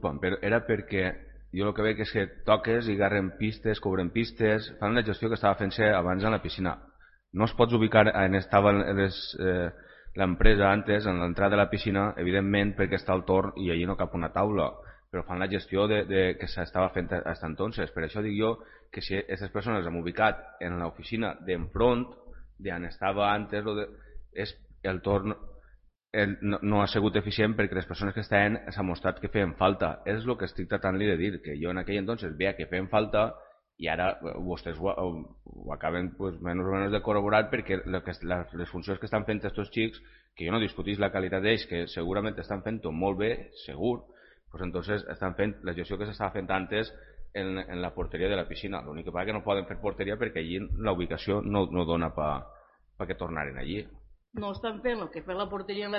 Però era perquè jo el que veig és que toques i agarren pistes, cobren pistes, fan una gestió que estava fent-se abans en la piscina. No es pots ubicar on estava l'empresa antes, en l'entrada de la piscina, evidentment perquè està al torn i allí no cap una taula, però fan la gestió que s'estava fent fins entonces. Per això dic jo que si aquestes persones hem ubicat en l'oficina d'enfront, d'on estava antes, és el torn no ha sigut eficient perquè les persones que estaven s'ha mostrat que feien falta. És el que estic tratant-li de dir, que jo en aquell entonces veia que feien falta i ara vostès ho acaben pues, menys o menys de corroborar perquè les funcions que estan fent aquests xics, que jo no discutís la qualitat d'ells, que segurament estan fent-ho molt bé, segur, pues entonces estan fent la gestió que s'estava fent antes en la porteria de la piscina. L'únic que passa que no poden fer porteria perquè allí la ubicació no dona pa que tornaren allí. No estan fent el que fa la porteria en la